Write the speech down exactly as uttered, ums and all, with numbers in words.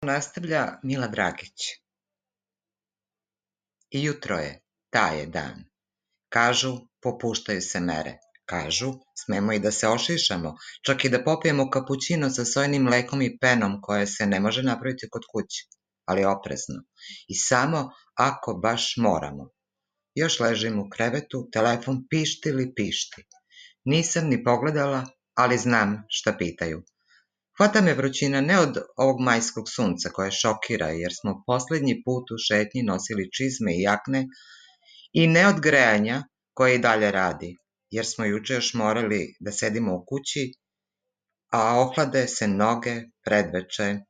Nastavlja Mila Dragić. I jutro je, taj je dan. Kažu, popuštaju se mere. Kažu, smemo i da se ošišamo, čak i da popijemo kapućino sa sojenim mlekom i penom koje se ne može napraviti kod kuće, ali oprezno. I samo ako baš moramo. Još ležim u krevetu, telefon pišti li pišti. Nisam ni pogledala, ali znam šta pitaju. Hvata me vrućina ne od ovog majskog sunca koje šokira jer smo posljednji put u šetnji nosili čizme i jakne i ne od grejanja koje i dalje radi, jer smo juče još morali da sedimo u kući, a ohlade se noge predveče